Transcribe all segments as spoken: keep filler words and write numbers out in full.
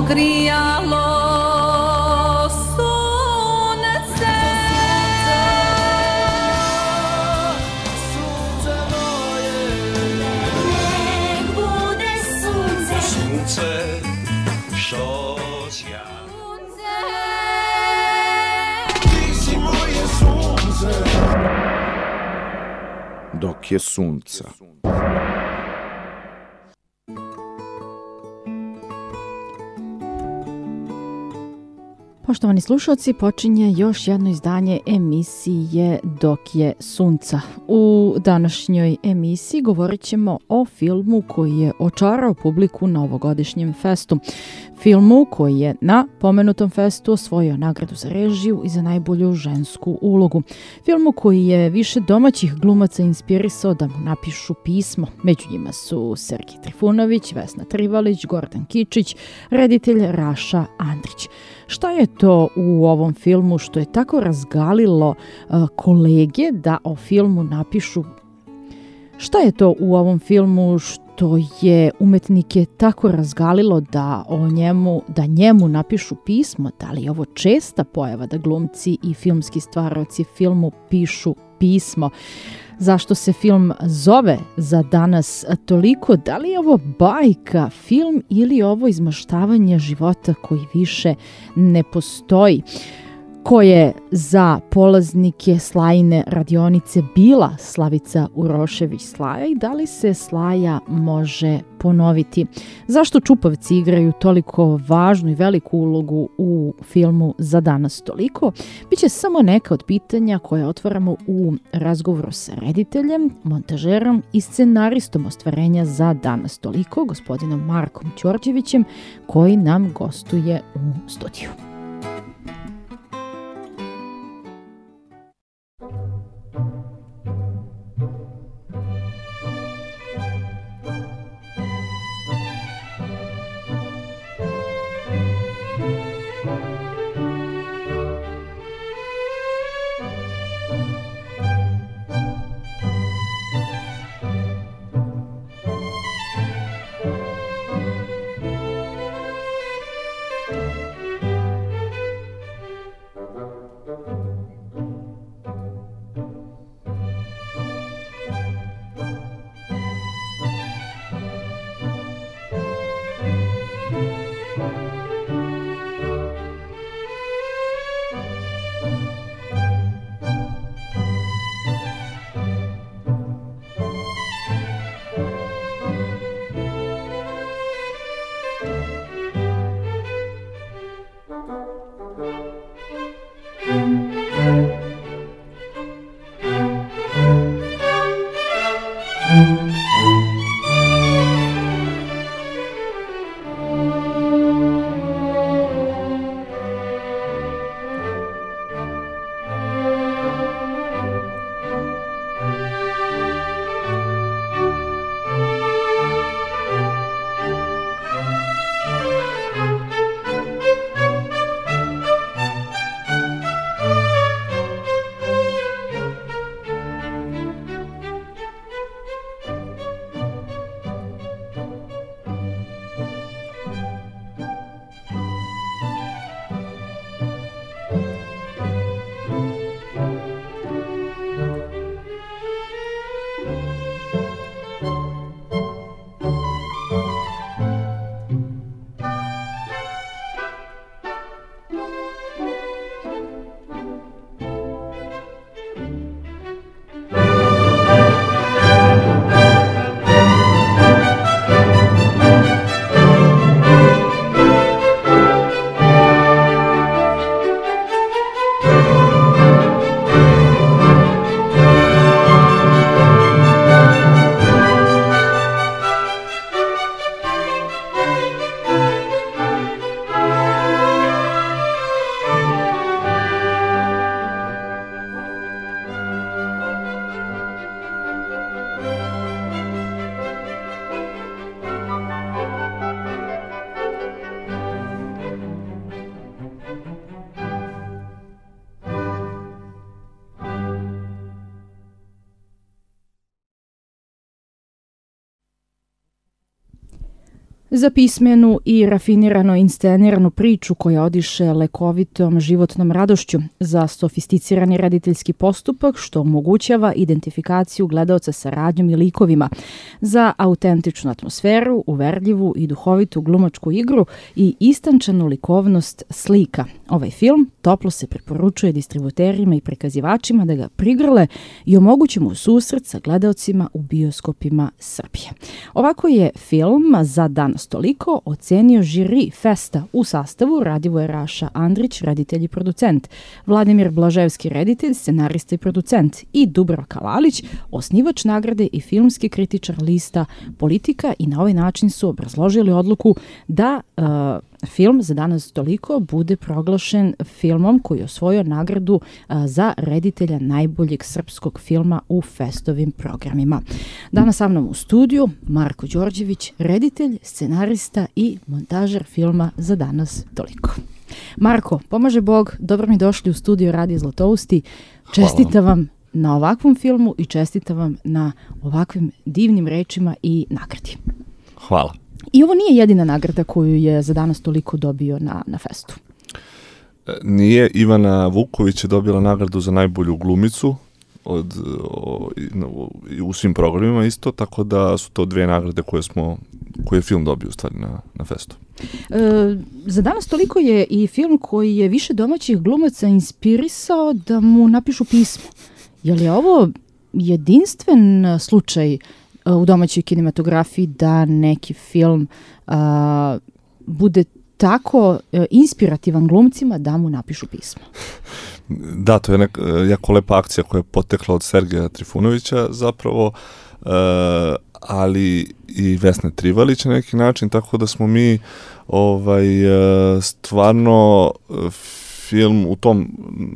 ogrijalo sunce. Sunce moje, nek bude sunce, sunce što sja. Ti si moje sunce. Dok je sunca. Poštovani slušalci, počinje još jedno izdanje emisije Dok je sunca. U današnjoj emisiji govorit ćemo o filmu koji je očarao publiku na ovogodišnjem festu. Filmu koji je na pomenutom festu osvojio nagradu za režiju i za najbolju žensku ulogu. Filmu koji je više domaćih glumaca inspirisao da mu napišu pismo. Među njima su Sergej Trifunović, Vesna Trivalić, Gordan Kičić, reditelj Raša Andrić. Šta je to u ovom filmu što je tako razgalilo uh, kolege da o filmu napišu? Šta je to u ovom filmu što je umetnike tako razgalilo da o njemu, da njemu napišu pismo? Da li je ovo česta pojava da glumci i filmski stvaraoci filmu pišu pismo? Zašto se film zove Za danas toliko? Da li je ovo bajka, film ili je ovo izmaštavanje života koji više ne postoji? Ko je za polaznike Slajine radionice bila Slavica Urošević Slaja i da li se Slaja može ponoviti? Zašto Čupavci igraju toliko važnu i veliku ulogu u filmu Za danas toliko? Biće samo neka od pitanja koje otvaramo u razgovoru sa rediteljem, montažerom i scenaristom ostvarenja Za danas toliko, gospodinom Markom Đorđevićem, koji nam gostuje u studiju. Za pismenu i rafinirano insceniranu priču koja odiše lekovitom životnom radošću, za sofisticirani rediteljski postupak što omogućava identifikaciju gledaoca sa radnjom i likovima, za autentičnu atmosferu, uverljivu i duhovitu glumačku igru i istančanu likovnost slika. Ovaj film toplo se preporučuje distributerima i prikazivačima da ga prigrle i omogući mu susret sa gledaocima u bioskopima Srbije. Ovako je film Za danas toliko ocenio žiri festa u sastavu Radivoje Raša Andrić, reditelj i producent, Vladimir Blaževski, reditelj, scenarista i producent, i Dubravka Lalić, osnivač nagrade i filmski kritičar lista Politika, i na ovaj način su obrazložili odluku da uh, film Za danas toliko bude proglašen filmom koji je osvojio nagradu a, za reditelja najboljeg srpskog filma u festovim programima. Danas sa mnom u studiju Marko Đorđević, reditelj, scenarista i montažer filma Za danas toliko. Marko, pomaže Bog, dobro mi došli u studio Radio Zlatousti. Čestitam vam na ovakvom filmu i čestitam vam na ovakvim divnim rečima i nagradi. Hvala. I ovo nije jedina nagrada koju je Za danas toliko dobio na, na festu. Nije, Ivana Vuković je dobila nagradu za najbolju glumicu od, o, o, u svim programima isto, tako da su to dve nagrade koje smo, koje je film dobio u stvari na, na festu. E, Za danas toliko je i film koji je više domaćih glumaca inspirisao da mu napišu pismo. Je li ovo jedinstven slučaj u domaćoj kinematografiji da neki film a, bude tako a, inspirativan glumcima da mu napišu pismo? Da, to je neka jako lepa akcija koja je potekla od Sergeja Trifunovića zapravo, uh, ali i Vesne Trivalić na neki način, tako da smo mi ovaj, uh, stvarno uh, film u tom,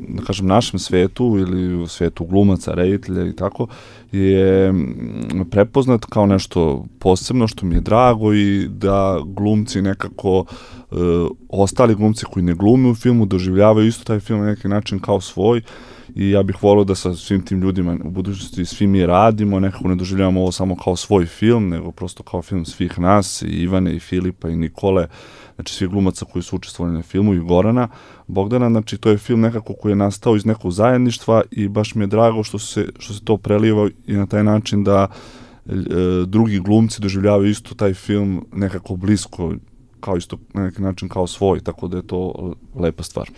da kažem, našem svetu ili u svetu glumaca, reditelja i tako, je prepoznat kao nešto posebno što mi je drago i da glumci nekako, e, ostali glumci koji ne glume u filmu doživljavaju isto taj film na neki način kao svoj, i ja bih volio da sa svim tim ljudima u budućnosti svi mi radimo, nekako ne doživljavamo ovo samo kao svoj film, nego prosto kao film svih nas, i Ivane, i Filipa, i Nikole, znači svih glumaca koji su učestvovali na filmu, i Gorana Bogdana. Znači to je film nekako koji je nastao iz nekog zajedništva i baš mi je drago što se, što se to preliva i na taj način da e, drugi glumci doživljavaju isto taj film nekako blisko, kao isto na neki način kao svoj, tako da je to lepa stvar.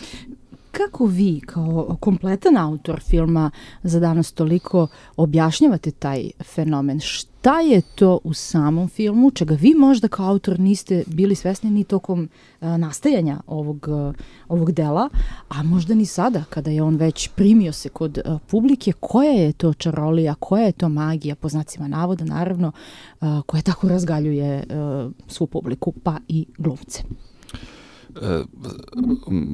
Kako vi, kao kompletan autor filma Za danas toliko, objašnjavate taj fenomen? Šta je to u samom filmu, čega vi možda kao autor niste bili svesni ni tokom uh, nastajanja ovog, uh, ovog dela, a možda ni sada, kada je on već primio se kod uh, publike? Koja je to čarolija, koja je to magija, po znacima navoda naravno, uh, koja tako razgaljuje uh, svu publiku, pa i glumce? E,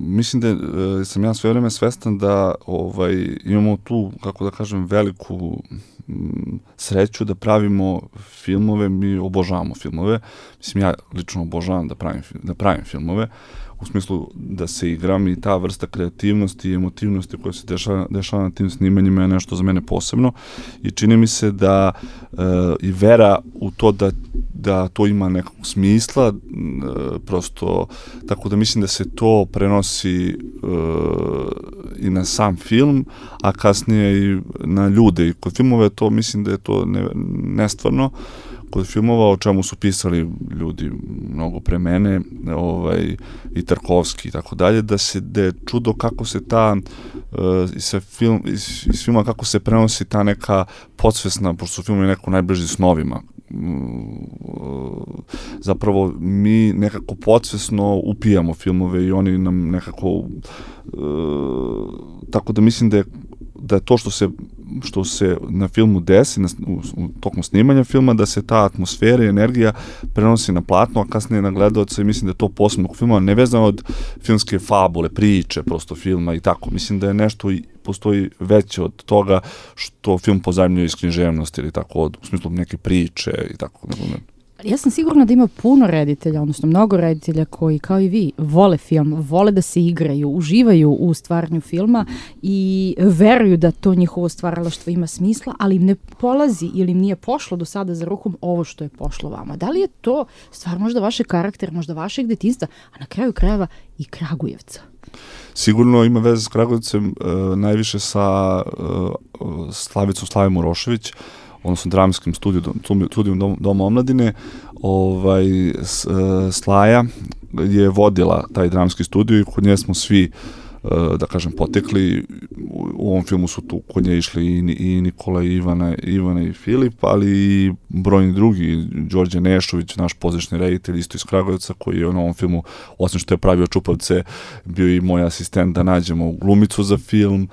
mislim da e, sam ja sve vreme svestan da ovaj, imamo tu, kako da kažem, veliku m, sreću da pravimo filmove, mi obožavamo filmove. Mislim, ja lično obožavam da pravim, da pravim filmove, u smislu da se igram, i ta vrsta kreativnosti i emotivnosti koja se dešava, dešava na tim snimanjima je nešto za mene posebno, i čini mi se da e, i vera u to da, da to ima nekog smisla, e, prosto, tako da mislim da se to prenosi e, i na sam film, a kasnije i na ljude, i kod filmove to mislim da je to ne, nestvarno. Kod filmova, o čemu su pisali ljudi mnogo pre mene, ovaj, i Tarkovski i tako dalje, da se da je čudo kako se ta uh, iz, film, iz, iz filma kako se prenosi ta neka podsvesna, pošto su filmovi neko najbliži snovima. Uh, zapravo mi nekako podsvesno upijamo filmove i oni nam nekako uh, tako da mislim da je da je to što se što se na filmu desi, na, u, u tokom snimanja filma, da se ta atmosfera i energija prenosi na platno, a kasnije na gledaoca, i mislim da je to posebno filma, nevezano od filmske fabule, priče, prosto filma i tako. Mislim da je nešto i postoji veće od toga što film pozajmljuje iz književnosti ili tako, od, u smislu neke priče i tako. Ja sam sigurna da ima puno reditelja, odnosno mnogo reditelja koji, kao i vi, vole film, vole da se igraju, uživaju u stvaranju filma i veruju da to njihovo stvaralaštvo ima smisla, ali im ne polazi ili im nije pošlo do sada za rukom ovo što je pošlo vama. Da li je to stvar možda vaše karaktera, možda vašeg detinjstva, a na kraju krajeva i Kragujevca? Sigurno ima veze s Kragujevcem, uh, najviše sa uh, Slavicom Slavijom Urošević, odnosno dramskim studijom, studijom dom, Doma omladine. Ovaj, s, Slaja je vodila taj dramski studio i kod nje smo svi, da kažem, potekli. U ovom filmu su tu kod nje išli i, i Nikola, i Ivana, Ivana i Filip, ali i brojni drugi, Đorđe Nešović, naš pozdrašni reditelj, isto iz Kragujevca, koji je u ovom filmu, osim što je pravio Čupavce, bio i moj asistent da nađemo glumicu za film.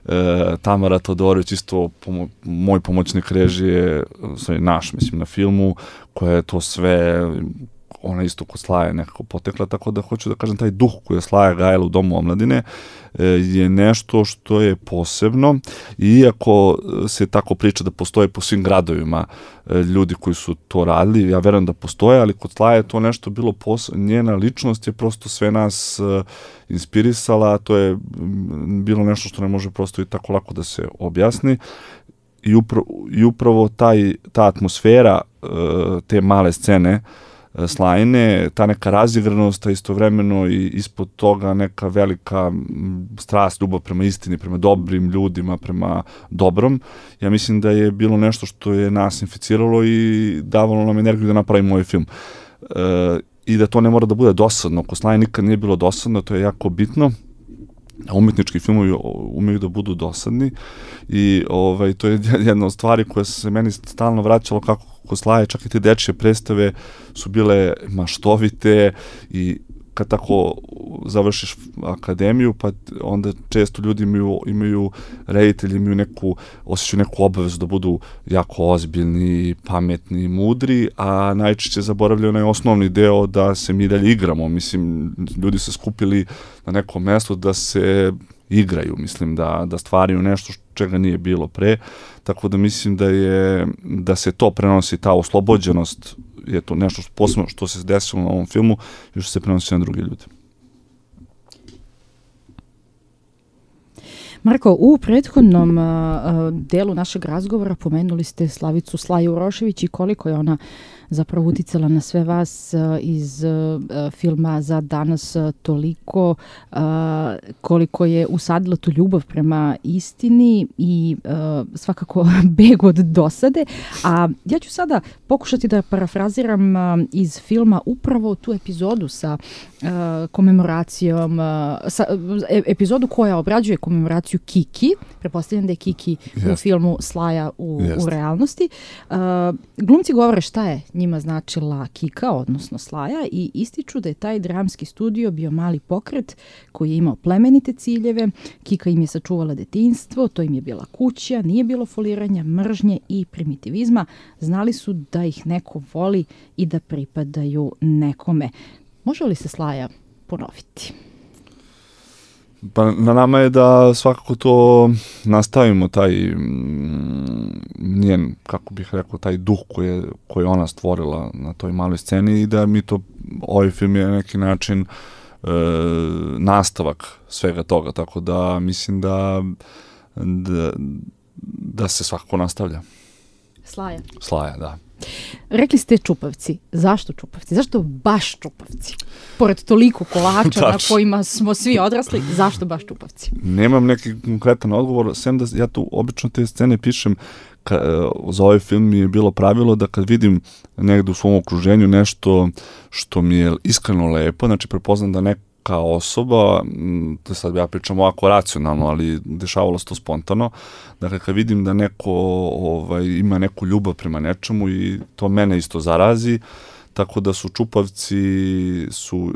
E, Tamara Todorović, isto pomo moj pomoćnik režije, sve naš, mislim, na filmu, koja je to sve, ona isto kod Slaje nekako potekla, tako da hoću da kažem, taj duh koji je Slaja gajala u Domu omladine e, je nešto što je posebno, i iako se tako priča da postoje po svim gradovima e, ljudi koji su to radili, ja verujem da postoje, ali kod Slaje je to nešto bilo posebno, njena ličnost je prosto sve nas e, inspirisala, to je bilo nešto što ne može prosto i tako lako da se objasni, i upravo, i upravo taj, ta atmosfera e, te male scene Slajine, ta neka razigranost, a istovremeno i ispod toga neka velika strast, ljubav prema istini, prema dobrim ljudima, prema dobrom. Ja mislim da je bilo nešto što je nas inficiralo i davalo nam energiju da napravimo ovaj film. E, I da to ne mora da bude dosadno. Kod Slaje nikad nije bilo dosadno, to je jako bitno. A umetnički filmovi umeju da budu dosadni i ovaj, to je jedna od stvari koja se meni stalno vraćalo kako kod Slaje, čak i te dečje predstave su bile maštovite, i kad tako završiš akademiju, pa onda često ljudi imaju, imaju reditelji, imaju neku, osjećaju neku obavezu da budu jako ozbiljni, pametni, mudri, a najčešće zaboravljaju onaj osnovni deo da se mi dalje igramo. Mislim, ljudi se skupili na nekom mestu da se igraju, mislim, da, da stvaraju nešto čega nije bilo pre, tako da mislim da je, da se to prenosi, ta oslobođenost, je to nešto posebno što se desilo na ovom filmu i što se prenosi na druge ljude. Marko, u prethodnom uh, delu našeg razgovora pomenuli ste Slavicu Slaju Urošević i koliko je ona zapravo uticala na sve vas uh, iz uh, filma Za danas uh, toliko, uh, koliko je usadila tu ljubav prema istini i uh, svakako beg od dosade. A ja ću sada pokušati da parafraziram uh, iz filma upravo tu epizodu sa uh, komemoracijom, uh, sa, e, epizodu koja obrađuje komemoraciju Kiki. Pretpostavljam da je Kiki yes. u filmu Slaja u, yes. u realnosti. Uh, glumci govore šta je njima značila Kika, odnosno Slaja, i ističu da je taj dramski studio bio mali pokret koji je imao plemenite ciljeve. Kika im je sačuvala detinjstvo, to im je bila kuća, nije bilo foliranja, mržnje i primitivizma. Znali su da ih neko voli i da pripadaju nekome. Može li se Slaja ponoviti? Pa na nama je da svakako to nastavimo, taj mm, njen, kako bih rekao, taj duh koji je, koji je ona stvorila na toj maloj sceni, i da mi to, ovaj film je na neki način e, nastavak svega toga, tako da mislim da, da, da se svakako nastavlja. Slaja. Slaja, da. Rekli ste Čupavci. Zašto Čupavci? Zašto baš Čupavci? Pored toliko kolača na kojima smo svi odrasli, zašto baš Čupavci? Nemam neki konkretan odgovor, sem da ja tu obično te scene pišem, ka, za ovaj film mi je bilo pravilo da kad vidim negde u svom okruženju nešto što mi je iskreno lepo, znači prepoznam da neka kao osoba, to sad ja pričam ovako racionalno, ali dešavalo se to spontano, dakle kad vidim da neko ovaj, ima neku ljubav prema nečemu i to mene isto zarazi, tako da su Čupavci, su,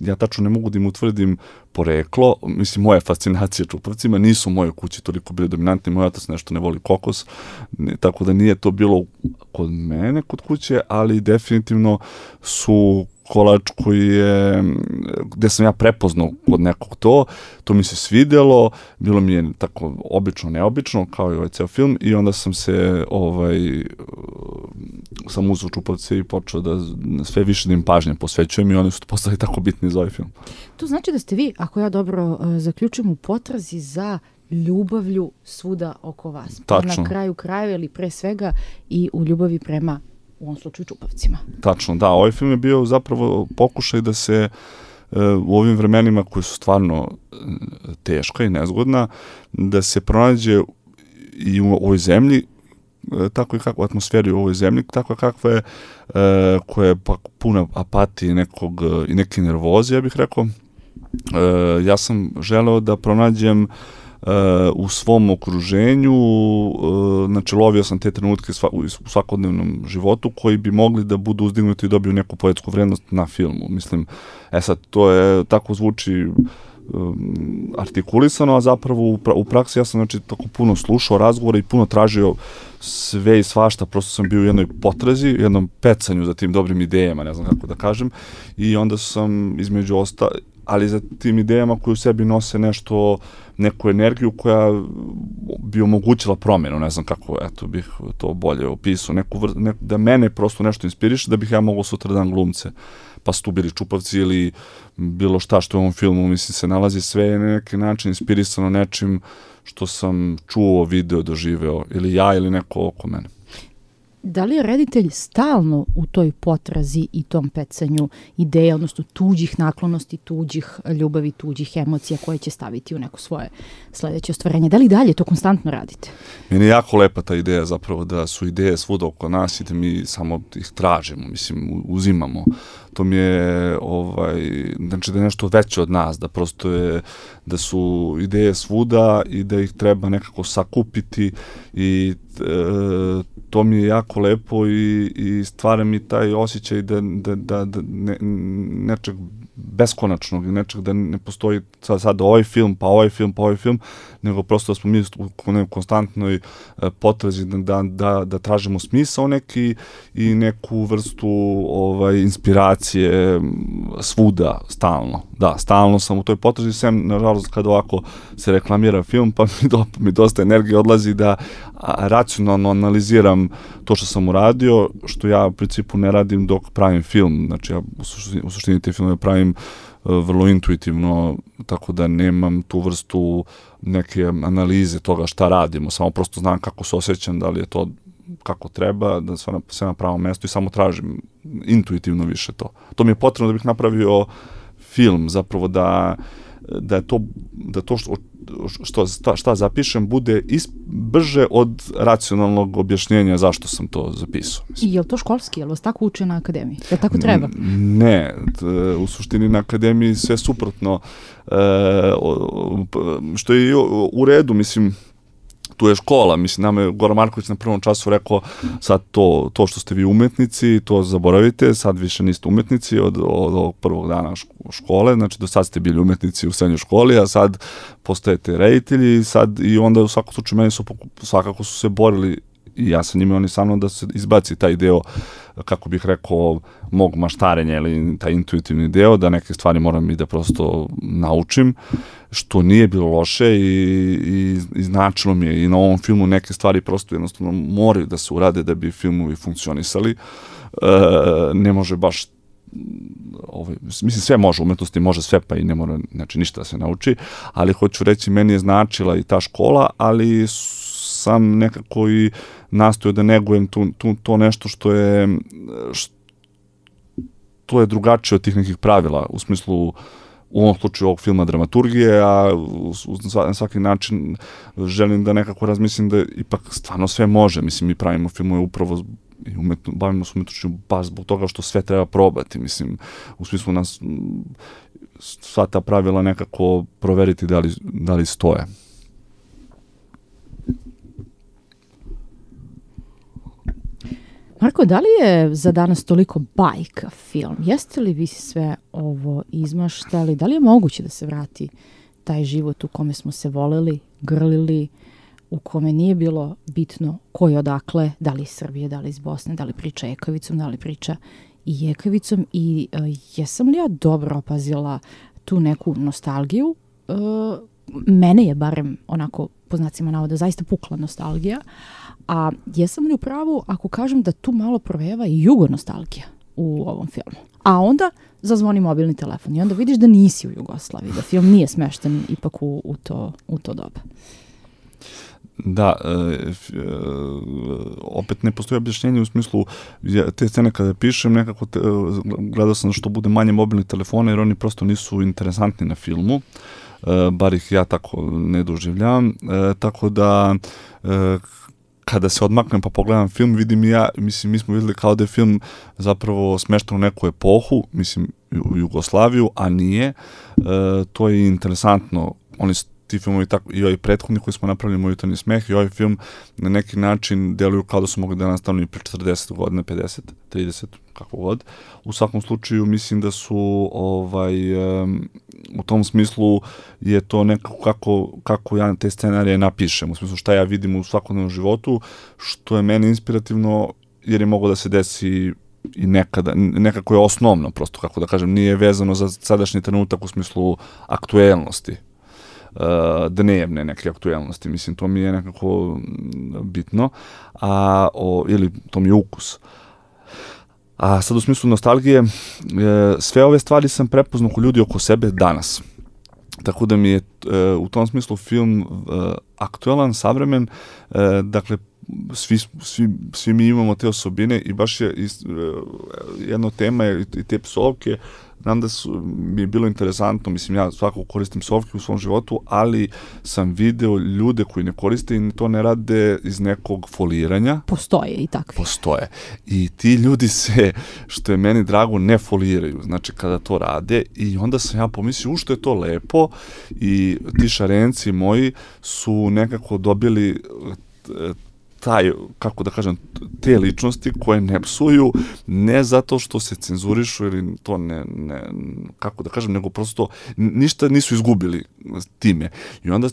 ja tačno ne mogu da im utvrdim poreklo, mislim moje fascinacije Čupavcima nisu u mojoj kući toliko bili dominantni, moj otac nešto ne voli kokos, ne, tako da nije to bilo kod mene, kod kuće, ali definitivno su kolač koji je, gde sam ja prepoznao kod nekog to, to mi se svidjelo, bilo mi je tako obično, neobično, kao i ovaj ceo film, i onda sam se ovaj, sam uzeo Čupavce i počeo da sve više da im pažnje posvećujem i oni su postali tako bitni za ovaj film. To znači da ste vi, ako ja dobro uh, zaključujem, u potrazi za ljubavlju svuda oko vas. Pa Tačno. na kraju krajeva ili pre svega i u ljubavi prema, u ovom slučaju, Čupavcima. Tačno, da. Ovaj film je bio zapravo pokušaj da se uh, u ovim vremenima koji su stvarno uh, teška i nezgodna, da se pronađe i u ovoj zemlji tako i kakva atmosfera u ovoj zemlji, tako kakva je, e, koja je pa puna apatije nekog, i neke nervoze, ja bih rekao. E, ja sam želeo da pronađem e, u svom okruženju, e, znači lovio sam te trenutke sva, u svakodnevnom životu koji bi mogli da budu uzdignuti i dobiju neku poetsku vrednost na filmu. Mislim, e sad, to je, tako zvuči um, artikulisano, a zapravo u, pra, u praksi ja sam znači tako puno slušao razgovore i puno tražio sve i svašta, prosto sam bio u jednoj potrazi, u jednom pecanju za tim dobrim idejama, ne znam kako da kažem, i onda sam između osta, ali za tim idejama koje u sebi nose nešto, neku energiju koja bi omogućila promjenu, ne znam kako, eto, bih to bolje opisao, neku vr, ne, da mene prosto nešto inspiriše, da bih ja mogao sutra dan glumce, pa su tu bili Čupavci ili bilo šta što u ovom filmu, mislim, se nalazi sve na neki način inspirisano nečim što sam čuo, video, doživeo, ili ja ili neko oko mene. Da li je reditelj stalno u toj potrazi i tom pecanju ideja, odnosno tuđih naklonosti, tuđih ljubavi, tuđih emocija koje će staviti u neko svoje sledeće ostvarenje? Da li dalje to konstantno radite? Meni je jako lepa ta ideja zapravo da su ideje svuda oko nas i da mi samo ih tražimo, mislim, uzimamo. To mi je, ovaj, znači da je nešto veće od nas, da prosto je, da su ideje svuda i da ih treba nekako sakupiti i e, to mi je jako lepo i, i stvara mi taj osjećaj da, da, da, da ne, nečeg beskonačnog, nečeg da ne postoji sad, sad ovaj film, pa ovaj film, pa ovaj film, nego prosto da smo mi u konstantnoj potrazi da, da, da, da tražimo smisao neki i neku vrstu ovaj, inspiracije svuda, stalno. Da, stalno sam u toj potrazi, sem, nažalost, kad ovako se reklamira film, pa mi, do, mi dosta energije odlazi da a, racionalno analiziram to što sam uradio, što ja u principu ne radim dok pravim film. Znači, ja u suštini, u suštini te filmove pravim uh, vrlo intuitivno, tako da nemam tu vrstu neke analize toga šta radimo. Samo prosto znam kako se osjećam, da li je to kako treba, da sve na, sve na pravom mestu i samo tražim intuitivno više to. To mi je potrebno da bih napravio film, zapravo da, da je to, da to što, što, šta, šta zapišem bude is, brže od racionalnog objašnjenja zašto sam to zapisao. I je li to školski? Je li vas tako uče na akademiji? Je li tako treba? Ne, u suštini na akademiji sve suprotno, što je u redu, mislim, tu je škola, mislim, nama je Goran Marković na prvom času rekao, sad to, to što ste vi umetnici, to zaboravite, sad više niste umetnici od, od ovog prvog dana škole, znači do sad ste bili umetnici u srednjoj školi, a sad postajete reditelji, sad i onda u svakom slučaju meni su svakako su se borili i ja sam njima, oni sa mnom da se izbaci taj deo, kako bih rekao, mog maštarenja ili taj intuitivni deo, da neke stvari moram i da prosto naučim, što nije bilo loše i, i, i značilo mi je i na ovom filmu neke stvari prosto jednostavno moraju da se urade da bi filmovi funkcionisali. E, ne može baš ovaj, mislim sve može, umetnosti može sve, pa i ne mora, znači ništa da se nauči, ali hoću reći, meni je značila i ta škola, ali sam nekako i nastojao da negujem tu, tu, to nešto što je što to je drugačije od tih nekih pravila, u smislu u ovom slučaju ovog filma dramaturgije, a na svaki način želim da nekako razmislim da ipak stvarno sve može. Mislim, mi pravimo filmove upravo i umetno, bavimo se umetnošću baš zbog toga što sve treba probati. Mislim, u smislu nas sva ta pravila nekako proveriti da li, da li stoje. Marko, da li je za danas toliko bajka film? Jeste li vi sve ovo izmaštali? Da li je moguće da se vrati taj život u kome smo se voleli, grlili, u kome nije bilo bitno ko je odakle, da li iz Srbije, da li iz Bosne, da li priča Ekavicom, da li priča i Jekavicom i uh, jesam li ja dobro opazila tu neku nostalgiju uh, mene je barem onako, po znacima navoda, zaista pukla nostalgija, a jesam li u pravu ako kažem da tu malo provejava i jugonostalgija u ovom filmu? A onda zazvoni mobilni telefon i onda vidiš da nisi u Jugoslaviji, da film nije smešten ipak u, u, to, u to doba. Da, e, f, e, opet ne postoji objašnjenje u smislu ja, te scene kada pišem nekako te, gledao sam da što bude manje mobilnih telefona jer oni prosto nisu interesantni na filmu, e, bar ih ja tako ne doživljavam, e, tako da e, kada se odmaknem pa pogledam film, vidim i ja, mislim, mi smo vidjeli kao da je film zapravo smešten u neku epohu, mislim, u Jugoslaviju, a nije. E, to je interesantno. Oni ti filmovi tako, i ovaj prethodni koji smo napravili Moj jutarnji smeh i ovaj film na neki način deluju kao da su mogli da nastanu i pre četrdeset godina, pedeset, trideset, kako god. U svakom slučaju mislim da su ovaj, um, u tom smislu je to nekako kako, kako ja te scenarije napišem, u smislu šta ja vidim u svakodnevnom životu, što je meni inspirativno jer je moglo da se desi i nekada, nekako je osnovno prosto, kako da kažem, nije vezano za sadašnji trenutak u smislu aktuelnosti. Uh, dnevne neke aktuelnosti, mislim, to mi je nekako bitno, a, o, ili to mi je ukus. A sad u smislu nostalgije, e, sve ove stvari sam prepoznao kod ljudi oko sebe danas. Tako da mi je e, u tom smislu film e, aktuelan, savremen, e, dakle, svi, svi, svi mi imamo te osobine i baš je is, e, jedna tema je i te psovke. Znam da su, mi je bilo interesantno, mislim, ja svakako koristim psovke u svom životu, ali sam video ljude koji ne koriste i to ne rade iz nekog foliranja. Postoje i takvi. Postoje. I ti ljudi se, što je meni drago, ne foliraju, znači kada to rade i onda sam ja pomislio, u što je to lepo i ti šarenci moji su nekako dobili taj, kako da kažem, te ličnosti koje ne psuju, ne zato što se cenzurišu ili to ne, ne kako da kažem, nego prosto ništa nisu izgubili time. I onda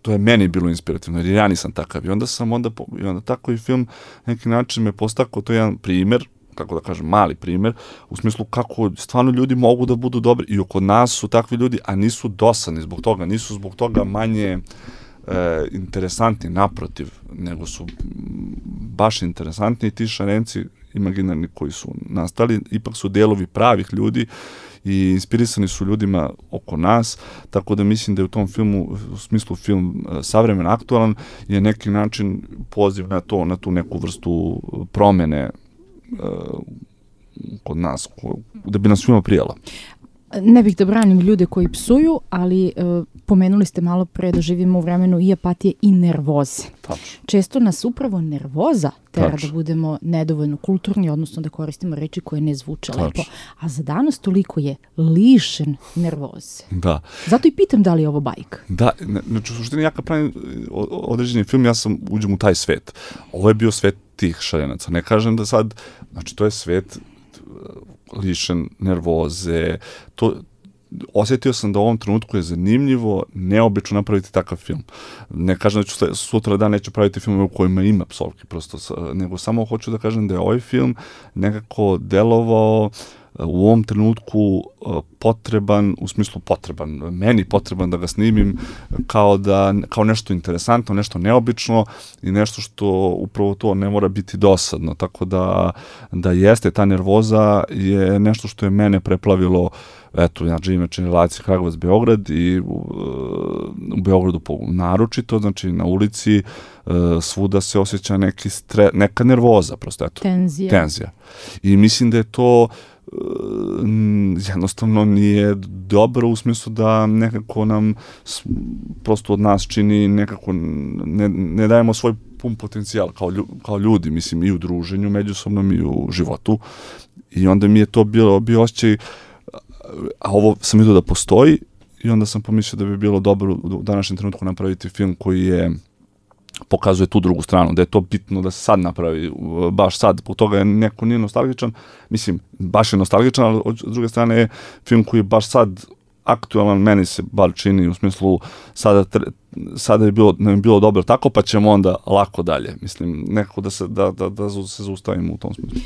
to je meni bilo inspirativno, jer ja nisam takav. I onda sam onda, i onda tako i film neki način me postakao, to je jedan primer, kako da kažem, mali primer, u smislu kako stvarno ljudi mogu da budu dobri i oko nas su takvi ljudi, a nisu dosadni zbog toga, nisu zbog toga manje E, interesantni, naprotiv, nego su baš interesantni i ti šarenci imaginarni koji su nastali, ipak su delovi pravih ljudi i inspirisani su ljudima oko nas, tako da mislim da je u tom filmu, u smislu film savremen, aktualan, je neki način poziv na to, na tu neku vrstu promene e, kod nas, ko, da bi nam svima prijelo. Ne bih da branim ljude koji psuju, ali e, pomenuli ste malo pre da živimo u vremenu i apatije i nervoze. Tačno. Često nas upravo nervoza tera Tačno. da budemo nedovoljno kulturni, odnosno da koristimo reči koje ne zvuče Tačno. lepo. A za danas toliko je lišen nervoze. Da. Zato i pitam da li je ovo bajka. Da, znači u suštini ja kad pravim određeni film, ja sam uđem u taj svet. Ovo je bio svet tih šarenaca. Ne kažem da sad, znači to je svet lišen nervoze, to osjetio sam da u ovom trenutku je zanimljivo, neobično napraviti takav film. Ne kažem da ću sutra dan neću praviti filmove u kojima ima psovki, prosto, nego samo hoću da kažem da je ovaj film nekako delovao u ovom trenutku potreban, u smislu potreban, meni potreban da ga snimim kao, da, kao nešto interesantno, nešto neobično i nešto što upravo to ne mora biti dosadno. Tako da, da jeste, ta nervoza je nešto što je mene preplavilo. Eto, ja živim na relaciji Kragujevac-Beograd i u, u Beogradu naročito, znači na ulici svuda se osjeća neki stre, neka nervoza, prosto eto. Tenzija. Tenzija. I mislim da je to jednostavno nije dobro u smislu da nekako nam prosto od nas čini nekako ne, ne dajemo svoj pun potencijal kao, lju, kao ljudi, mislim i u druženju međusobnom i u životu i onda mi je to bilo, bio osjećaj, a ovo sam vidio da postoji i onda sam pomislio da bi bilo dobro u današnjem trenutku napraviti film koji je pokazuje tu drugu stranu, da je to bitno da se sad napravi, baš sad, po toga je neko nije nostalgičan, mislim, baš je nostalgičan, ali od druge strane je film koji je baš sad aktualan, meni se bar čini u smislu sada, sada je bilo, nam je bilo dobro tako, pa ćemo onda lako dalje, mislim, nekako da se, da, da, da se zaustavimo u tom smislu.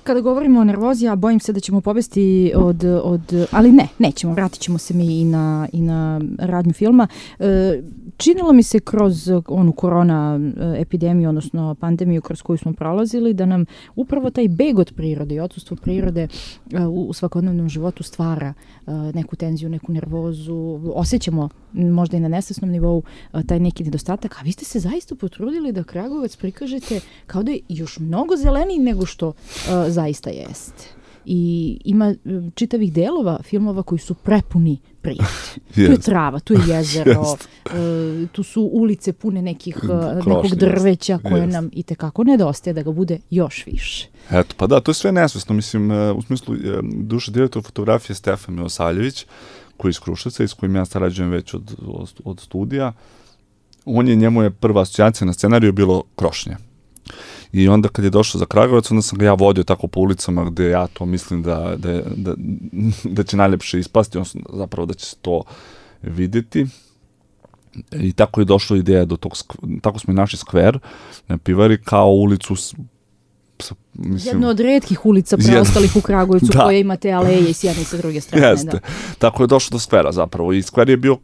kada govorimo o nervozi, ja bojim se da ćemo pobesti od, od ali ne, nećemo, vratit ćemo se mi i na, i na radnju filma. E, činilo mi se kroz onu korona epidemiju, odnosno pandemiju kroz koju smo prolazili, da nam upravo taj beg od prirode i odsustvo prirode uh, u svakodnevnom životu stvara uh, neku tenziju, neku nervozu. Osjećamo možda i na nesvesnom nivou uh, taj neki nedostatak, a vi ste se zaista potrudili da Kragujevac prikažete kao da je još mnogo zeleniji nego što uh, zaista jeste. I ima čitavih delova filmova koji su prepuni prirode. Tu je trava, tu je jezero, uh, tu su ulice pune nekih, uh, nekog drveća koje nam i tekako nedostaje da ga bude još više. Eto, pa da, to je sve nesvesno. Mislim, uh, u smislu, uh, duše direktor fotografije Stefan Milosaljević, koji je iz Kruševca i s kojim ja sarađujem već od, od, od studija, on je, njemu je prva asocijacija na scenariju bilo Krošnje. I onda kad je došao za Kragujevac, onda sam ga ja vodio tako po ulicama gde ja to mislim da, da, da, da će najlepše ispasti, odnosno zapravo da će se to vidjeti. I tako je došla ideja do tog, tako smo i našli skver na Pivari kao ulicu s, s, mislim, jedno od retkih ulica preostalih u Kragujevcu da. Koje imate aleje i s jedne i sa druge strane. Jeste. Da. Tako je došlo do skvera zapravo i skver je bio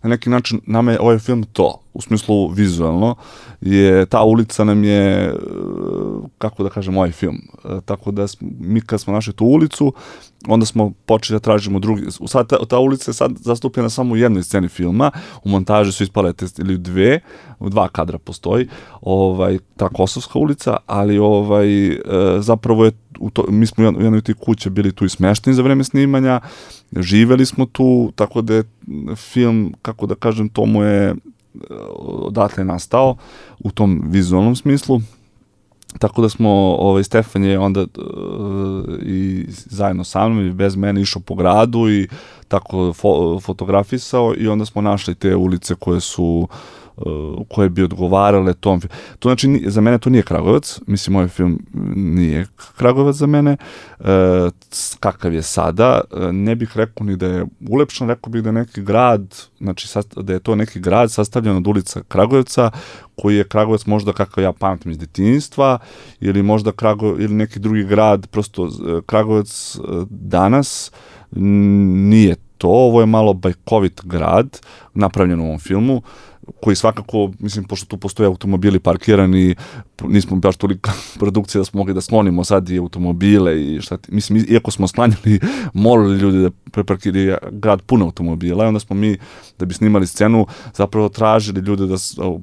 na neki način, nama je ovaj film to, u smislu vizualno, je ta ulica nam je, kako da kažem, ovaj film. Tako da mi kad smo našli tu ulicu, onda smo počeli da tražimo drugi. Sad ta, ta ulica je sad zastupljena samo u jednoj sceni filma, u montaži su ispale te, ili dve, u dva kadra postoji, ovaj, ta Kosovska ulica, ali ovaj, e, zapravo je, u to, mi smo u jednoj tih kuće bili tu i smešteni za vreme snimanja, živeli smo tu, tako da je film, kako da kažem, to mu je odatle nastao u tom vizualnom smislu. Tako da smo, ovaj, Stefan je onda uh, i zajedno sa mnom i bez mene išao po gradu i tako fo fotografisao i onda smo našli te ulice koje su uh, koje bi odgovarale tom. To znači, za mene to nije Kragujevac, mislim, ovaj film nije Kragujevac za mene, uh, kakav je sada, uh, ne bih rekao ni da je ulepšan, rekao bih da je neki grad, znači da je to neki grad sastavljen od ulica Kragujevca, koji je Kragujevac možda kakav ja pamtim iz detinjstva, ili možda Kragujevac, ili neki drugi grad, prosto Kragujevac danas nije to, ovo je malo bajkovit grad, napravljen u ovom filmu, koji svakako, mislim, pošto tu postoje automobili parkirani, nismo baš tolika produkcija da smo mogli da sklonimo sad i automobile i šta ti, mislim, iako smo sklanjali, molili ljudi da preparkiraju grad puno automobila i onda smo mi, da bi snimali scenu, zapravo tražili ljude da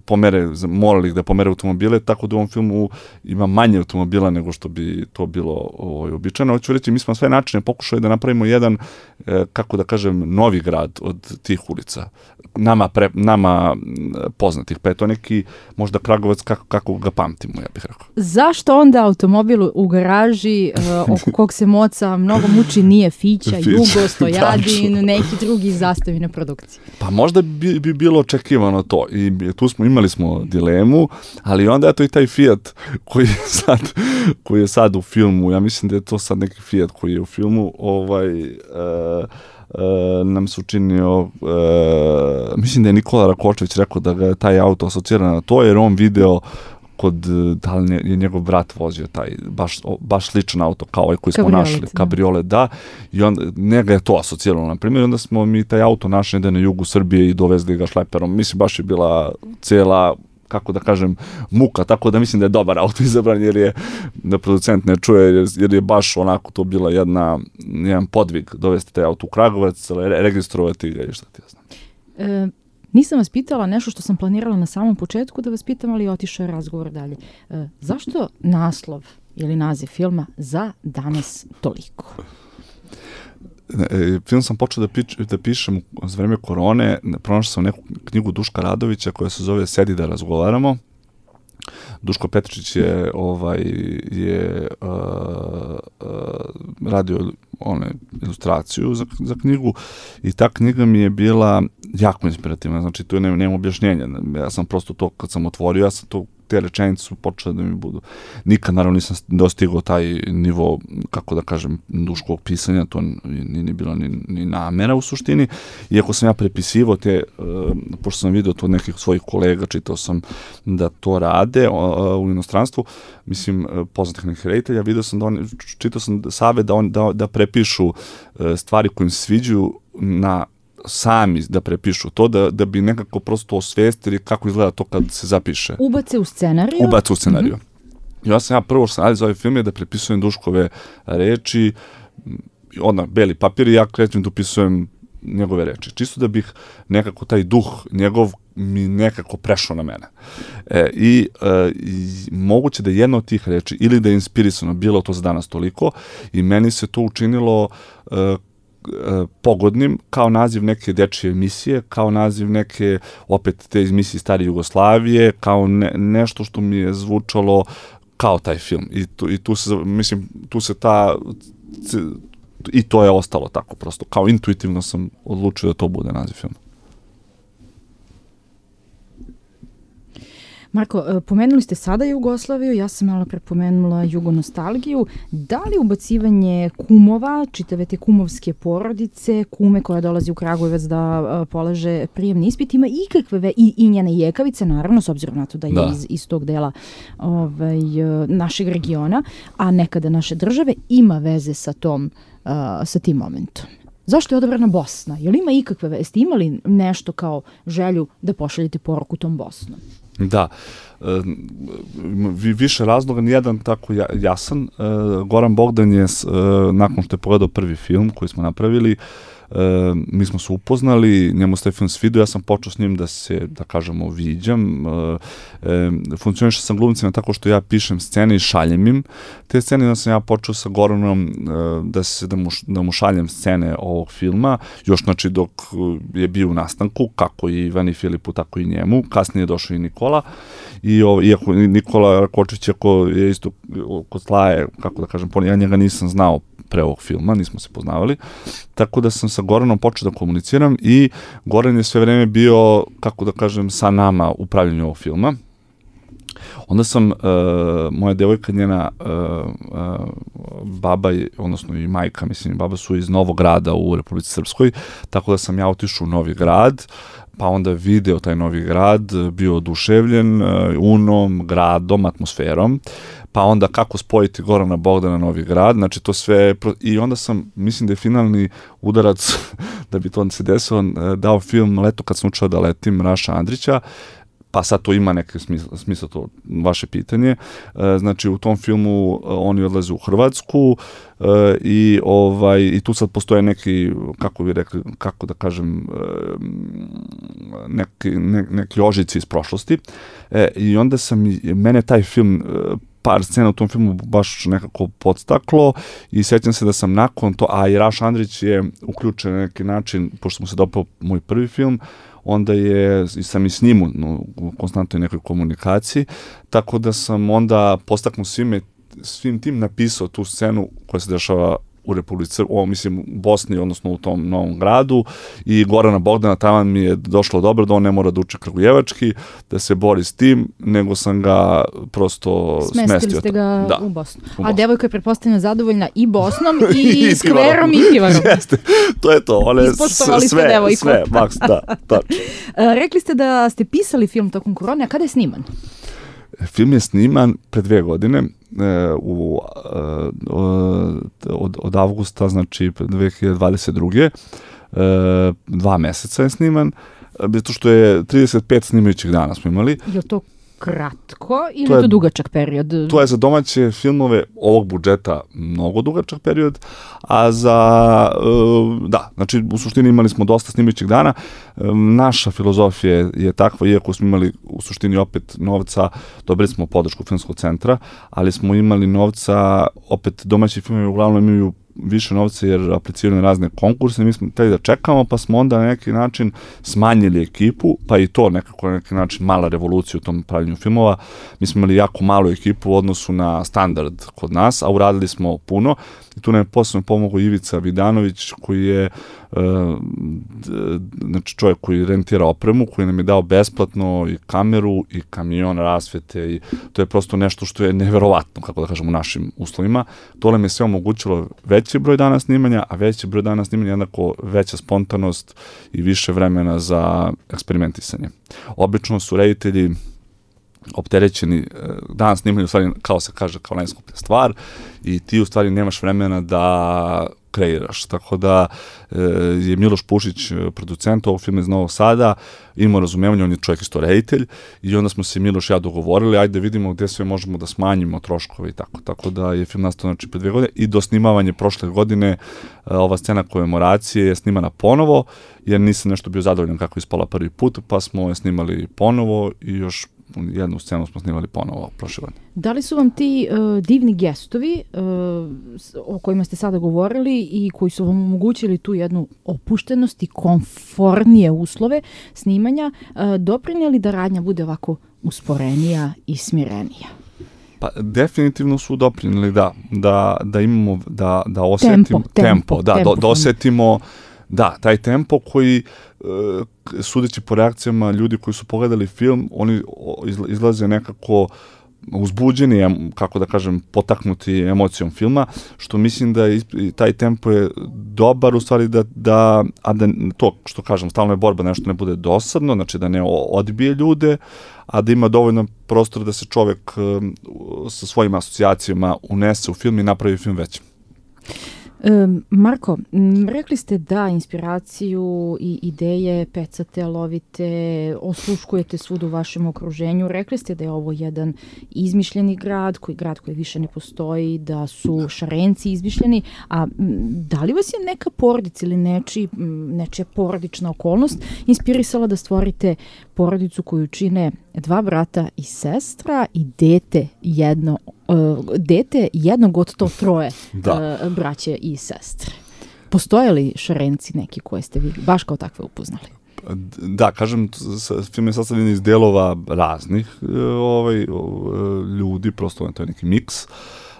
pomere, molili ih da pomere automobile, tako da u ovom filmu ima manje automobila nego što bi to bilo ovaj, običajno. Hoću reći, mi smo sve načine pokušali da napravimo jedan, kako da kažem, novi grad od tih ulica. Nama, pre, nama poznatih, pa je to neki možda Kragujevac kako, kako ga pamtimo, ja bih rekao. Zašto onda automobil u garaži uh, oko kog se moca mnogo muči nije Fića, Jugo, Stojadin, neki drugi zastavine produkcije? Pa možda bi, bi bilo očekivano to i tu smo, imali smo dilemu, ali onda je to i taj Fiat koji je sad, koji je sad u filmu, ja mislim da je to sad neki Fiat koji je u filmu, ovaj... Uh, Uh, nam se učinio, uh, mislim da je Nikola Rakočević rekao da ga je taj auto asocira na to, jer on video kod, da li je njegov brat vozio taj baš, baš sličan auto kao ovaj koji smo Kabriolet, našli, kabriolet, da, i onda njega je to asociralo, na primjer, onda smo mi taj auto našli da na jugu Srbije i dovezli ga šleperom, mislim baš je bila cijela, kako da kažem, muka, tako da mislim da je dobar auto izabran, jer je, da producent ne čuje, jer, jer je baš onako to bila jedna, jedan podvig dovesti taj auto u Kragujevac, re, registrovati ga i šta ti ja znam. E, nisam vas pitala nešto što sam planirala na samom početku da vas pitam, ali otišao je razgovor dalje. E, zašto naslov ili naziv filma Za danas toliko? Film sam počeo da, pič, da pišem za vreme korone, pronašao sam neku knjigu Duška Radovića koja se zove Sedi da razgovaramo. Duško Petričić je, ovaj, je uh, uh, radio one, ilustraciju za, za knjigu i ta knjiga mi je bila jako inspirativna, znači tu nema, nema objašnjenja. Ja sam prosto to, kad sam otvorio, ja sam to, te rečenice su počele da mi budu. Nikad, naravno, nisam dostigao taj nivo, kako da kažem, duškog pisanja, to nije ni bilo ni, ni namera u suštini, iako sam ja prepisivao te, uh, pošto sam vidio to od nekih svojih kolega, čitao sam da to rade uh, u inostranstvu, mislim, uh, poznatih nekih reditelja, vidio sam da oni, čitao sam savjet da, on, da, da prepišu uh, stvari koje im se sviđaju na sami da prepišu to, da, da bi nekako prosto osvestili kako izgleda to kad se zapiše. Ubace u scenariju? Ubace u scenariju. Mm-hmm. Ja sam ja prvo što sam radio za ovaj film je da prepisujem Duškove reči, onda beli papir i ja krećem da upisujem njegove reči. Čisto da bih nekako taj duh njegov mi nekako prešao na mene. E, i, e, i moguće da jedna od tih reči ili da je inspirisano bilo to za danas toliko i meni se to učinilo e, pogodnim kao naziv neke dečije emisije, kao naziv neke opet te emisije Stare Jugoslavije, kao ne, nešto što mi je zvučalo kao taj film. I tu, i tu se, mislim, tu se ta i to je ostalo tako prosto. Kao intuitivno sam odlučio da to bude naziv filma. Marko, pomenuli ste sada Jugoslaviju, ja sam malo prepomenula jugonostalgiju. Da li ubacivanje kumova, čitave te kumovske porodice, kume koja dolazi u Kragujevac da polaže prijemni ispit, ima ikakve, i, i njena jekavica, naravno, s obzirom na to da je da. Iz, iz tog dela ovaj, našeg regiona, a nekada naše države, ima veze sa, tom, uh, sa tim momentom? Zašto je odabrana Bosna? Je li ima ikakve veze? Ste imali nešto kao želju da pošaljete poruku tom Bosnom? Da, e, više razloga, nijedan tako jasan. E, Goran Bogdan je, e, nakon što je pogledao prvi film koji smo napravili, e, mi smo se upoznali, njemu se taj film svidio, ja sam počeo s njim da se, da kažemo, viđam. E, e, funkcioniše sam glumcima tako što ja pišem scene i šaljem im te scene, da sam ja počeo sa Goranom e, da, se, da, mu, da mu šaljem scene ovog filma, još znači dok je bio u nastanku, kako i Ivani Filipu, tako i njemu, kasnije je došao i Nikola, i o, iako Nikola Rakočić, ako je isto kod Slaje, kako da kažem, ja njega nisam znao pre ovog filma, nismo se poznavali, tako da sam sa Goranom počeo da komuniciram i Goran je sve vreme bio, kako da kažem, sa nama u pravljenju ovog filma. Onda sam, uh, moja devojka, njena uh, uh, baba, odnosno i majka, mislim, baba su iz Novog Grada u Republici Srpskoj, tako da sam ja otišao u Novi Grad, pa onda video taj Novi Grad, bio oduševljen uh, unom, gradom, atmosferom, pa onda kako spojiti Gorana Bogdana Novi Grad, znači to sve, i onda sam, mislim da je finalni udarac da bi to se desilo, dao film Leto kad sam učeo da letim, Raša Andrića, pa sad to ima neke smisla, smisla to vaše pitanje. E, znači u tom filmu oni odlaze u Hrvatsku e, i ovaj i tu sad postoje neki, kako bi rekli, kako da kažem, e, neki ne, neki ožici iz prošlosti. E, i onda sam mene taj film e, par scena u tom filmu baš nekako podstaklo i sjećam se da sam nakon to, a i Raš Andrić je uključen na neki način, pošto mu se dopao moj prvi film, onda je, sam i s njim no, u konstantnoj nekoj komunikaciji, tako da sam onda postaknuo svime, svim tim napisao tu scenu koja se dešava u Republici, o, mislim, u Bosni, odnosno u tom Novom Gradu, i Gorana Bogdana tamo mi je došlo dobro da on ne mora da uči kragujevački, da se bori s tim, nego sam ga prosto smestio. Smestili ste ga da, u Bosnu. U A Bosnu. devojka je pretpostavljena zadovoljna i Bosnom i, i skverom i pivarom. Jeste, to je to. One Ispoštovali sve, ste devojku. sve, maks, da, tačno. Rekli ste da ste pisali film tokom korone, a kada je sniman? Film je sniman pre dve godine, e, u, e, od, od avgusta, znači dve hiljade dvadeset druge. E, dva meseca je sniman, zato što je trideset pet snimajućih dana smo imali. Je to kratko ili to je je to dugačak period? To je za domaće filmove ovog budžeta mnogo dugačak period, a za, da, znači u suštini imali smo dosta snimajućih dana. Naša filozofija je takva, iako smo imali u suštini opet novca, dobili smo podršku Filmskog centra, ali smo imali novca, opet domaći filmovi uglavnom imaju više novca jer apliciraju na razne konkurse, mi smo hteli da čekamo, pa smo onda na neki način smanjili ekipu, pa i to nekako na neki način mala revolucija u tom pravljenju filmova. Mi smo imali jako malu ekipu u odnosu na standard kod nas, a uradili smo puno I tu nam je posebno pomogao Ivica Vidanović, koji je uh, znači čovjek koji rentira opremu, koji nam je dao besplatno i kameru i kamion rasvete i to je prosto nešto što je neverovatno, kako da kažem, u našim uslovima. To nam je sve omogućilo veći broj dana snimanja, a veći broj dana snimanja jednako veća spontanost i više vremena za eksperimentisanje. Obično su reditelji opterećeni, dan snimanja u stvari, kao se kaže, kao najskuplja stvar i ti u stvari nemaš vremena da kreiraš. Tako da e, je Miloš Pušić, producent ovog filma iz Novog Sada, imao razumevanje, on je čovjek isto reditelj i onda smo se Miloš i ja dogovorili, ajde vidimo gdje sve možemo da smanjimo troškove i tako. Tako da je film nastao znači pre dve godine i do snimavanja prošle godine ova scena komemoracije je snimana ponovo, jer nisam nešto bio zadovoljan kako je ispala prvi put, pa smo je snimali ponovo i još jednu scenu smo snimali ponovo prošle godine. Da li su vam ti uh, divni gestovi uh, o kojima ste sada govorili i koji su vam omogućili tu jednu opuštenost i komfortnije uslove snimanja uh, doprinijeli da radnja bude ovako usporenija i smirenija? Pa definitivno su doprinijeli da, da, da imamo, da, da osetimo tempo, tempo, tempo da, tempo, da, da osetimo da, taj tempo koji, sudeći po reakcijama ljudi koji su pogledali film, oni izlaze nekako uzbuđeni, kako da kažem, potaknuti emocijom filma, što mislim da je, taj tempo je dobar u stvari da, da, a da to što kažem, stalno je borba, nešto ne bude dosadno, znači da ne odbije ljude, a da ima dovoljno prostora da se čovjek sa svojim asocijacijama unese u film i napravi film većim. Marko, rekli ste da inspiraciju i ideje pecate, lovite, osluškujete svud u vašem okruženju. Rekli ste da je ovo jedan izmišljeni grad, koji grad koji više ne postoji, da su Šarenci izmišljeni, a da li vas je neka porodica ili neči, nečija porodična okolnost inspirisala da stvorite porodicu koju čine dva brata i sestra i dete jedno Uh, dete jednog od to troje uh, braće i sestre. Postoje li Šarenci neki koje ste vi baš kao takve upoznali? Da, kažem, film je sastavljen iz delova raznih ovaj, ljudi, prosto to je neki miks.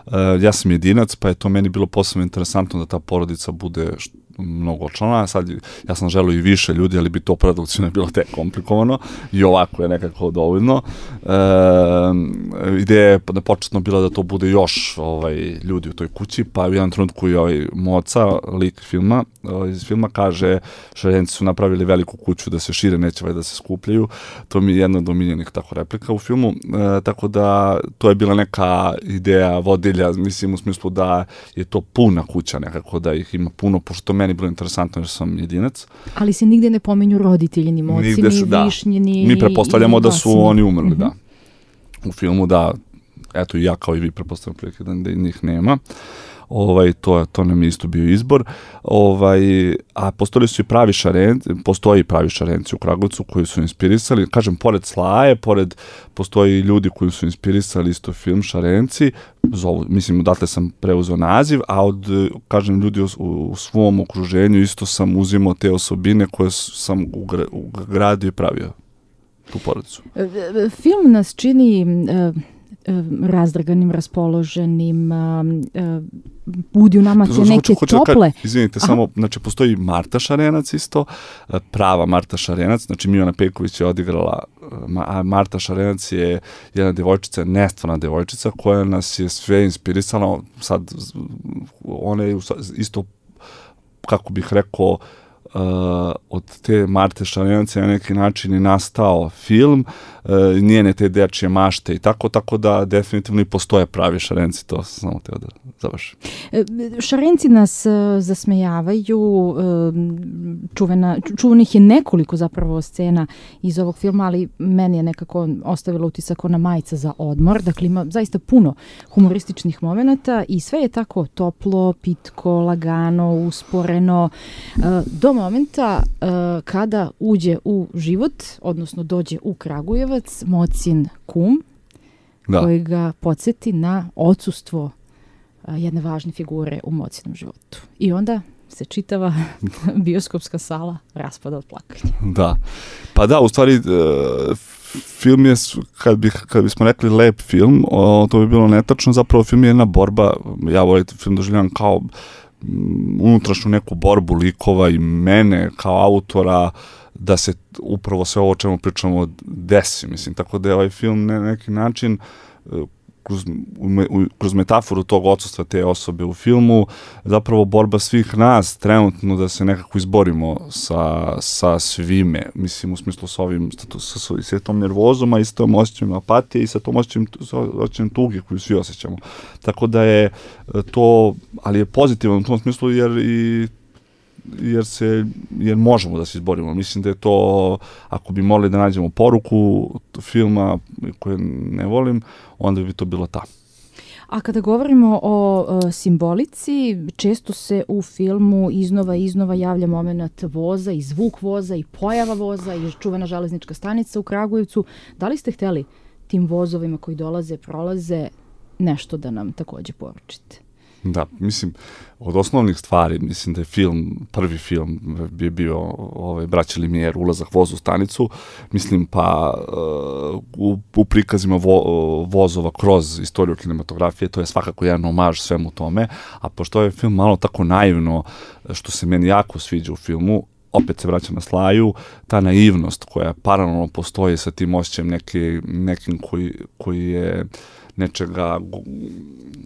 Uh, ja sam jedinac, pa je to meni bilo posebno interesantno da ta porodica bude mnogo člana. Sad, ja sam želeo i više ljudi, ali bi to produkcijno bilo tek komplikovano i ovako je nekako dovoljno. E, ideja je da početno bila da to bude još ovaj, ljudi u toj kući, pa u jednom trenutku i ovaj Moca, lik filma, iz filma kaže Šarenci su napravili veliku kuću da se šire, neće da se skupljaju. To mi je jedna od omiljenih tako replika u filmu. E, tako da to je bila neka ideja vodilja, mislim u smislu da je to puna kuća nekako, da ih ima puno, pošto meni bilo interesantno jer sam jedinac. Ali se nigde ne pomenju roditelji, ni moci, ni višnji, ni... Mi pretpostavljamo da su oni umrli, mm-hmm. da. U filmu, da, eto i ja kao i vi pretpostavljam prilike da njih nema. Ovaj, to, to nam je isto bio izbor. Ovaj, a postojali su i pravi Šarenci, postoji pravi Šarenci u Kragujevcu koji su inspirisali, kažem, pored Slaje, pored, postoji ljudi koji su inspirisali isto film Šarenci, zovu, mislim, odatle sam preuzeo naziv, a od, kažem, ljudi u, u svom okruženju isto sam uzimao te osobine koje sam ugradio i pravio tu porodicu. Film nas čini uh, razdraganim, raspoloženim, budi u nama te neke hoću, tople. Ka, izvinite, Aha. samo, znači, postoji Marta Šarenac isto, prava Marta Šarenac, znači Mijana Pejković je odigrala, a Marta Šarenac je jedna devojčica, nestvarna devojčica, koja nas je sve inspirisala, sad, ona je isto, kako bih rekao, Uh, od te Marte Šarenac je na neki način i nastao film, uh, njene te dečje mašte i tako, tako da definitivno i postoje pravi Šarenci, to sam samo teo da završim. Šarenci nas uh, zasmejavaju, uh, čuvena, čuvenih je nekoliko zapravo scena iz ovog filma, ali meni je nekako ostavilo utisak ona majica za odmor, dakle ima zaista puno humorističnih momenata i sve je tako toplo, pitko, lagano, usporeno, uh, do momenta uh, kada uđe u život, odnosno dođe u Kragujevac, Mocin kum, da. Koji ga podsjeti na odsustvo uh, jedne važne figure u Mocinom životu. I onda se čitava bioskopska sala raspada od plakanja. Da. Pa da, u stvari uh, film je, kad, bih, kad bismo rekli lep film, o, to bi bilo netačno, zapravo film je jedna borba, ja volim film doživljavam kao m, unutrašnju neku borbu likova i mene kao autora, da se upravo sve ovo o čemu pričamo desi, mislim, tako da je ovaj film na neki način kroz, kroz metaforu tog odsustva te osobe u filmu, zapravo borba svih nas trenutno da se nekako izborimo sa, sa svime, mislim u smislu sa ovim, sa, sa, sa tom nervozom, a i sa tom osjećajem apatije i sa tom osjećajem, osjećajem tuge koju svi osjećamo. Tako da je to, ali je pozitivno u tom smislu jer i jer se, jer možemo da se izborimo. Mislim da je to, ako bi mogli da nađemo poruku filma koju ne volim, onda bi to bilo ta. A kada govorimo o e, simbolici, često se u filmu iznova i iznova javlja moment voza i zvuk voza i pojava voza i čuvena železnička stanica u Kragujevcu. Da li ste hteli tim vozovima koji dolaze, prolaze, nešto da nam takođe poručite? Da, mislim, od osnovnih stvari, mislim da je film, prvi film bi bio ovaj, Braća Limijer, ulazak voza u stanicu, mislim pa uh, u, u prikazima vo, vozova kroz istoriju kinematografije, to je svakako jedan omaž svemu tome, a pošto je film malo tako naivno, što se meni jako sviđa u filmu, opet se vraća na Slaju, ta naivnost koja paralelno postoji sa tim osjećajem neki, nekim koji, koji je nečega,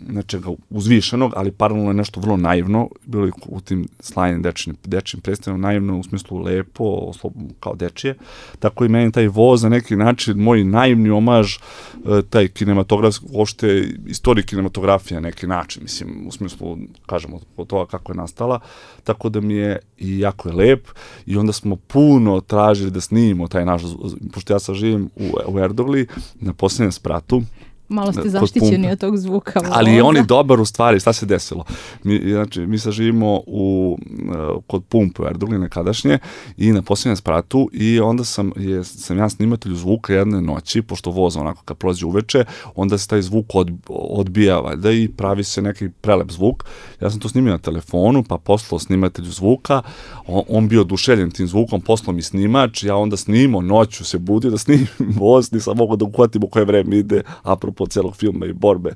nečega uzvišenog, ali paralelno je nešto vrlo naivno, bilo je u tim Slajinim dečijim, dečijim predstavljeno naivno u smislu lepo, kao dečije, tako i meni taj voz na neki način, moj naivni omaž, taj kinematografski, uopšte istoriji kinematografije na neki način, mislim, u smislu, kažemo, od toga kako je nastala, tako da mi je i jako je lep i onda smo puno tražili da snimimo taj naš, pošto ja sad živim u, u Erdogli, na posljednjem spratu. Malo ste zaštićeni od tog zvuka. Ali je on i dobar u stvari, šta se desilo? Mi, znači, mi sad živimo u, kod pumpe u Erdogli nekadašnje i na posljednjem spratu i onda sam, je, sam ja snimatelju zvuka jedne noći, pošto voz onako kad prolazi uveče, onda se taj zvuk od, odbija valjda i pravi se neki prelep zvuk. Ja sam to snimio na telefonu, pa poslao snimatelju zvuka, on, on bio oduševljen tim zvukom, poslao mi snimač, ja onda snimao, noću se budio da snimim voz, nisam mogao da uhvatim u koje vreme ide, apropo po celog filma i borbe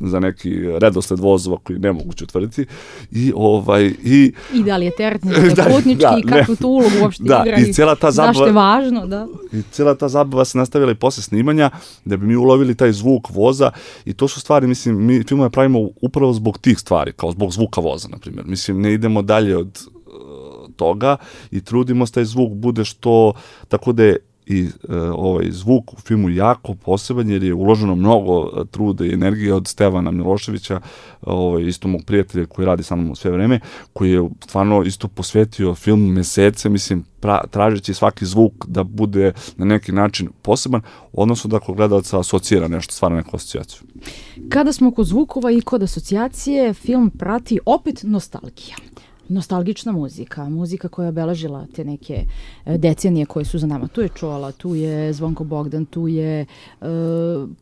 za neki redosled vozova koji ne moguće utvrditi i ovaj i i da li je teretni da, putnički da, i kakvu tu ulogu uopšte da, igra i cijela ta zabava, zašto je važno, da. I cijela ta zabava se nastavila i posle snimanja da bi mi ulovili taj zvuk voza i to su stvari, mislim, mi filmove pravimo upravo zbog tih stvari, kao zbog zvuka voza, na primjer. Mislim, ne idemo dalje od uh, toga i trudimo se taj zvuk bude što, tako da je i e, ovaj zvuk u filmu jako poseban jer je uloženo mnogo truda i energije od Stevana Miloševića, ovaj, isto mog prijatelja koji radi sa mnom sve vreme, koji je stvarno isto posvetio film mesece, mislim, pra, tražeći svaki zvuk da bude na neki način poseban, odnosno da ako gledalaca asocira nešto, stvarno neku asocijaciju. Kada smo kod zvukova i kod asocijacije, film prati opet nostalgija. Nostalgična muzika, muzika koja je obeležila te neke decenije koje su za nama. Tu je Čola, tu je Zvonko Bogdan, tu je, uh,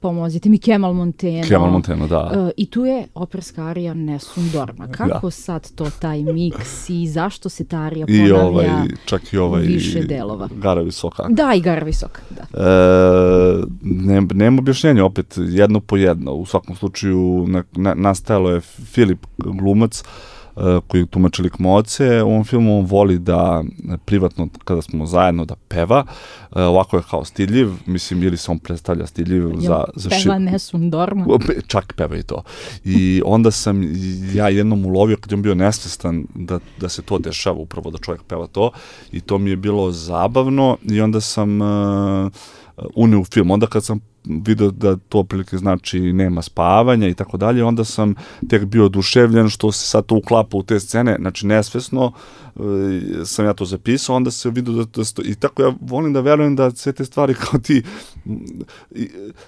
pomozite mi, Kemal Monteno. Kemal Monteno, da. Uh, I tu je operska arija Nessun Dorma. Kako da. Sad to taj miks i zašto se ta arija ponavlja I ovaj, čak i ovaj, više delova? Gara Visoka. Da, i Gara Visoka, da. E, ne, nema objašnjenja, opet jedno po jedno. U svakom slučaju na, na, nastajalo je Filip glumac, koji tumači lik Moce, u ovom filmu on voli da privatno, kada smo zajedno, da peva, ovako je kao stidljiv, mislim, ili se on predstavlja stidljiv Jel za... za peva ši... Nessun Dorma? Čak peva i to. I onda sam ja jednom ulovio, kad je on bio nesvestan, da, da se to dešava, upravo da čovjek peva to, i to mi je bilo zabavno, i onda sam uh, unio u film. Onda kad sam vidio da to prilike znači nema spavanja i tako dalje, onda sam tek bio oduševljen što se sad to uklapa u te scene, znači nesvesno e, sam ja to zapisao, onda se vidio da, da sto, i tako ja volim da verujem da sve te stvari kao ti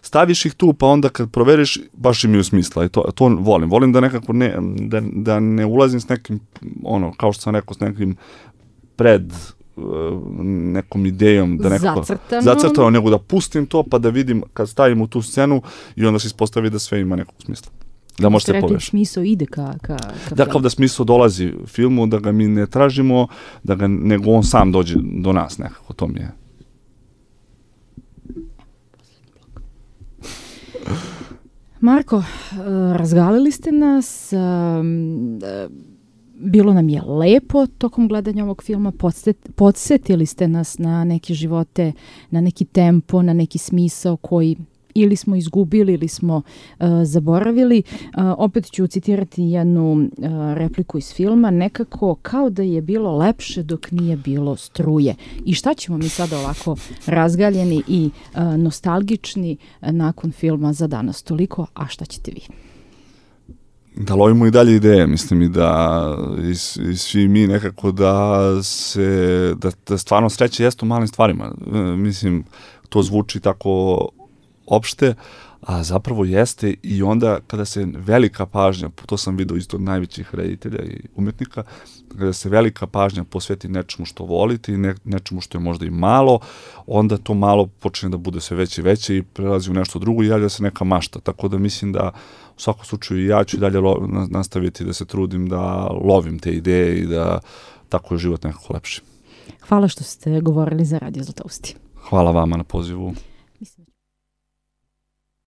staviš ih tu, pa onda kad proveriš baš imaju smisla i to, to volim, volim da nekako ne, da, da ne ulazim s nekim, ono, kao što sam rekao, s nekim pred nekom idejom da nekako zacrtano. zacrtano, nego da pustim to pa da vidim kad stavim u tu scenu i onda se ispostavi da sve ima nekog smisla. Da možete poveš. Smisao ide ka, ka, ka da, kao da smisao dolazi filmu, da ga mi ne tražimo, da ga, nego on sam dođe do nas nekako, to mi je. Marko, uh, razgalili ste nas, um, uh, bilo nam je lepo tokom gledanja ovog filma, podsjet, podsjetili ste nas na neke živote, na neki tempo, na neki smisao koji ili smo izgubili ili smo uh, zaboravili. Uh, opet ću citirati jednu uh, repliku iz filma, nekako kao da je bilo lepše dok nije bilo struje. I šta ćemo mi sada ovako razgaljeni i uh, nostalgični uh, nakon filma za danas toliko, a šta ćete vi? Da lovimo i dalje ideje, mislim i da i, i svi mi nekako da se, da, da stvarno sreće jeste u malim stvarima. E, mislim, to zvuči tako opšte, a zapravo jeste i onda kada se velika pažnja, to sam vidio isto od najvećih reditelja i umetnika, kada se velika pažnja posveti nečemu što volite i ne, nečemu što je možda i malo, onda to malo počne da bude sve veće i veće i prelazi u nešto drugo i javlja se neka mašta. Tako da mislim da u svakom slučaju ja ću dalje lo, nastaviti da se trudim da lovim te ideje i da tako je život nekako lepši. Hvala što ste govorili za Radio Zlatousti. Hvala vama na pozivu.